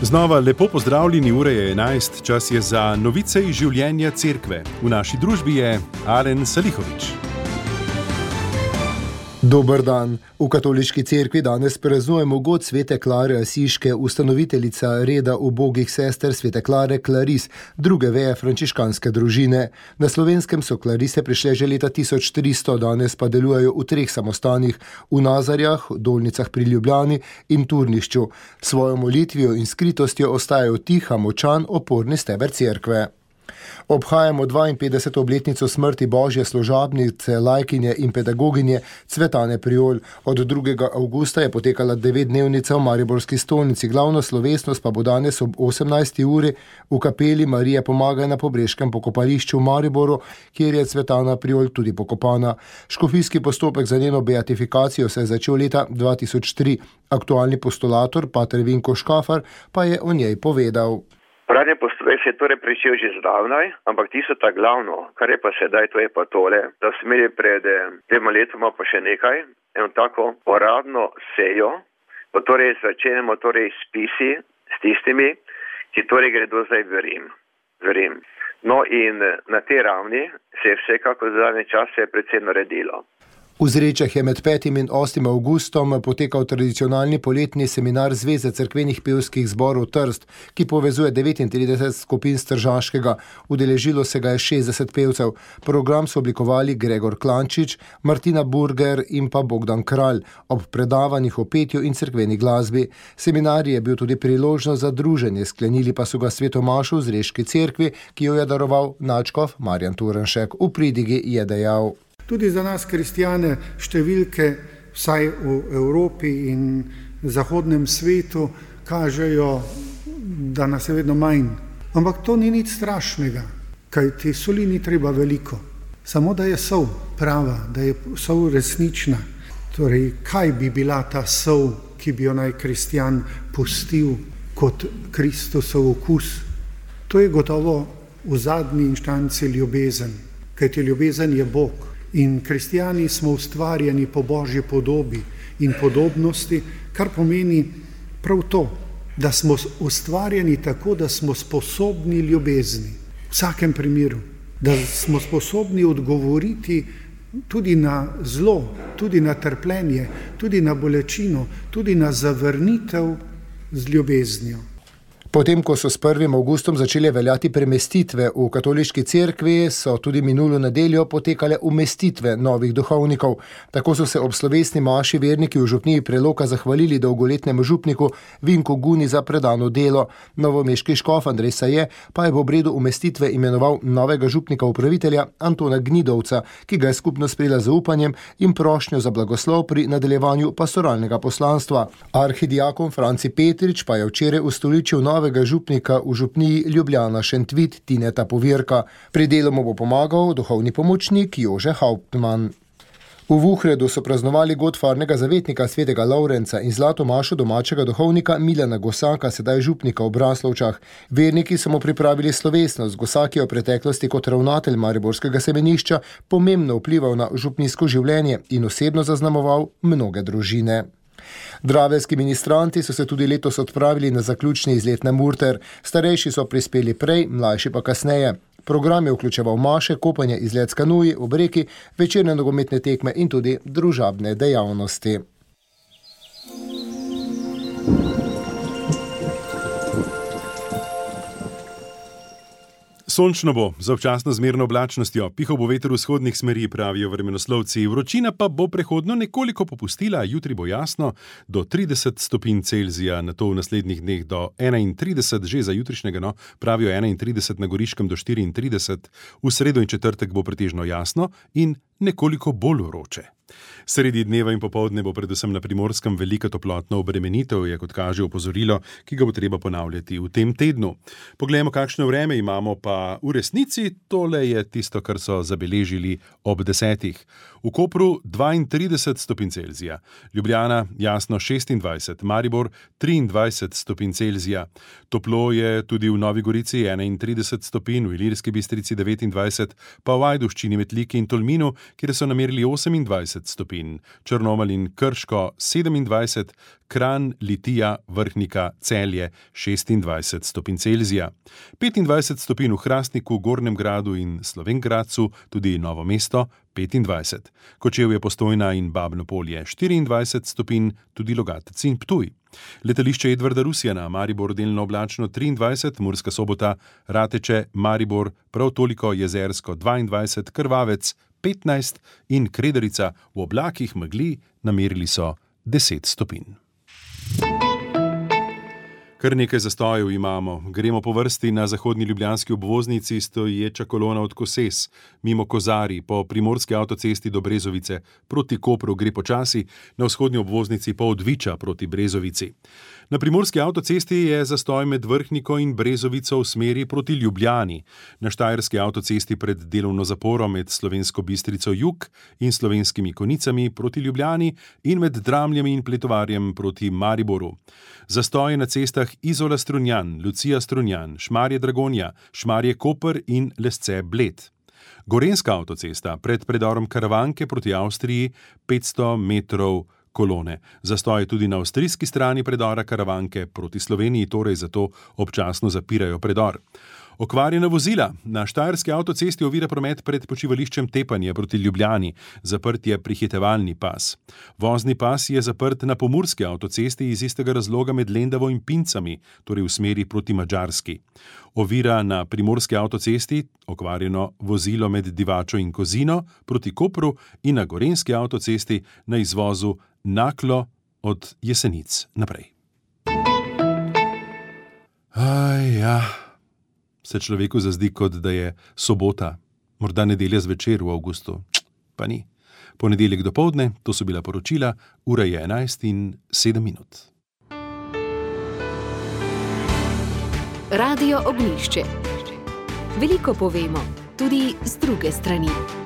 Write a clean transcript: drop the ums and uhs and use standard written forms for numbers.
Znova lepo pozdravljeni, ura je 11, čas je za novice iz življenja cerkve. V naši družbi je Alen Salihovič. Dober dan. V katoliški cerkvi danes praznujemo god svete Klare Asiške, ustanoviteljica reda ubogih sester svete Klare Klaris, druge veje frančiškanske družine. Na Slovenskem so Klarise prišle že leta 1300, danes pa delujejo v 3 samostanih, v Nazarjah, Dolnicah pri Ljubljani in Turnišču. Svojo molitvijo in skritostjo ostajajo tiha, močan, oporni steber cerkve. Obhajamo 52. obletnico smrti Božje služabnice, lajkinje in pedagoginje Cvetane Priol. Od 2. avgusta je potekala 9-dnevnica v Mariborski stolnici. Glavna slovesnost pa bo danes ob 18. uri v kapeli Marije Pomagaj na Pobreškem pokopališču v Mariboru, kjer je Cvetana Priol tudi pokopana. Škofijski postopek za njeno beatifikacijo se je začel leta 2003. Aktualni postulator, pater Vinko Škafar, pa je o njej povedal. Uradni postopek se je torej pričel že zdavnaj, ampak tisto ta glavno, kar je pa sedaj, to je pa tole, da smo imeli pred 2 letoma pa še nekaj, eno tako uradno sejo, pa torej začenjamo torej spisi s tistimi, ki torej gredo zdaj v Rim. No in na tej ravni se je vsekako za zadnje čase predvsem naredilo. V Zrečah je med 5. in 8. avgustom potekal tradicionalni poletni seminar Zveze cerkvenih pevskih zborov Trst, ki povezuje 39 skupin s Tržaškega. Udeležilo se ga je 60 pevcev. Program so oblikovali Gregor Klančič, Martina Burger in pa Bogdan Kralj ob predavanjih o petju in cerkveni glasbi. Seminar je bil tudi priložnost za druženje, sklenili pa so ga svetomašu v Zreški cerkvi, ki jo je daroval nadškof Marjan Turnšek. V pridigi je dejal: Tudi za nas kristjane številke, vsaj v Evropi in zahodnem svetu, kažejo, da nas je vedno manj. Ampak to ni nič strašnega, kajti soli ni treba veliko. Samo da je sol prava, da je sol resnična. Torej, kaj bi bila ta sol, ki bi jo naj kristjan pustil kot Kristusov okus? To je gotovo v zadnji inštanci ljubezen, kajti ljubezen je Bog. In kristjani smo ustvarjeni po Božji podobi in podobnosti, kar pomeni prav to, da smo ustvarjeni tako, da smo sposobni ljubezni. V vsakem primeru, da smo sposobni odgovoriti tudi na zlo, tudi na trpljenje, tudi na bolečino, tudi na zavrnitev z ljubeznijo. Potem, ko so s 1. avgustom začele veljati premestitve v katoliški cerkvi, so tudi minulo nedeljo potekale umestitve novih duhovnikov. Tako so se ob slovesni maši verniki v župniji Preloka zahvalili dolgoletnemu župniku Vinku Guni za predano delo. Novomeški škof Andrej Saje pa je v obredu umestitve imenoval novega župnika upravitelja Antona Gnidovca, ki ga je skupno sprejela z zaupanjem in prošnjo za blagoslov pri nadaljevanju pastoralnega poslanstva. Arhidiakon Franci Petrič pa je včeraj ustoličil novega župnika v župniji Ljubljana Šentvit Tineta Povirka. Pri delu mu bo pomagal duhovni pomočnik Jože Hauptmann. V Vuhredu so praznovali god farnega zavetnika svetega Lavrenca in zlato mašo domačega duhovnika Milana Gosaka, sedaj župnika v Braslovčah. Verniki so mu pripravili slovesnost. Gosak je v preteklosti kot ravnatelj mariborskega semenišča pomembno vplival na župnijsko življenje in osebno zaznamoval mnoge družine. Draveljski ministranti so se tudi letos odpravili na zaključni izlet na Murter. Starejši so prispeli prej, mlajši pa kasneje. Program je vključeval maše, kopanje, izlet s kanuji, ob reki, večerne nogometne tekme in tudi družabne dejavnosti. Sončno bo, z občasno zmerno oblačnostjo, pihal bo veter vzhodnih smeri, pravijo vremenoslovci. Vročina pa bo prehodno nekoliko popustila, jutri bo jasno do 30 stopinj Celzija, nato v naslednjih dneh do 31, že za jutrišnjega, pravijo 31 na Goriškem do 34, v sredo in četrtek bo pretežno jasno in nekoliko bolj vroče. Sredi dneva in popoldne bo predvsem na Primorskem velika toplotna obremenitev, je kot kaže opozorilo, ki ga bo treba ponavljati v tem tednu. Poglejmo, kakšno vreme imamo pa v resnici. Tole je tisto, kar so zabeležili ob 10. V Kopru 32 stopinj Celzija, Ljubljana jasno 26, Maribor 23 stopinj Celzija. Toplo je tudi v Novi Gorici 31 stopinj, v Ilirski Bistrici 29, pa v Ajdovščini, Metliki in Tolminu, kjer so namerili 28 stopinj, Črnomelj in Krško 27, Kranj, Litija, Vrhnika, Celje 26 stopinj Celzija. 25 stopinj v Hrastniku, Gornjem Gradu in Slovenj Gradcu, tudi Novo mesto 25. Kočevje, Postojna in Babno Polje 24 stopinj, tudi Logatec in Ptuj. Letališče Edvarda Rusjana, Maribor delno oblačno 23, Murska Sobota, Rateče, Maribor prav toliko, Jezersko 22, Krvavec 15 in Kredarica v oblakih megli namerili so 10 stopinj. Kar nekaj zastojev imamo. Gremo po vrsti na zahodni ljubljanski obvoznici, stoječa kolona od Koses, mimo Kozarij, po primorski avtocesti do Brezovice, proti Kopru gre počasi, na vzhodni obvoznici pa od Viča proti Brezovici. Na primorski avtocesti je zastoj med Vrhniko in Brezovico v smeri proti Ljubljani, na štajerski avtocesti pred delovno zaporo med Slovensko Bistrico jug in Slovenskimi Konicami proti Ljubljani in med Dramljami in Pletovarjem proti Mariboru. Zastoje na cestah Izola Strunjan, Lucija Strunjan, Šmarje Dragonja, Šmarje Koper in Lesce Bled. Gorenjska avtocesta pred predorom Karavanke proti Avstriji 500 metrov kolone. Zastoj tudi na avstrijski strani predora Karavanke proti Sloveniji, torej zato občasno zapirajo predor. Okvarjena vozila. Na štajerski avtocesti ovira promet pred počivališčem Tepanje proti Ljubljani. Zaprt je prehitevalni pas. Vozni pas je zaprt na pomurski avtocesti iz istega razloga med Lendavo in Pincami, torej v smeri proti Madžarski. Ovira na primorski avtocesti, okvarjeno vozilo med Divačo in Kozino proti Kopru in na gorenjski avtocesti na izvozu Naklo od Jesenic naprej. Se človeku zazdi, kot da je sobota, morda nedelja zvečer v avgustu. Pa ni. Ponedeljek dopoldne, to so bila poročila, ura je 11:07. Radio Ognjišče. Veliko povemo, tudi z druge strani.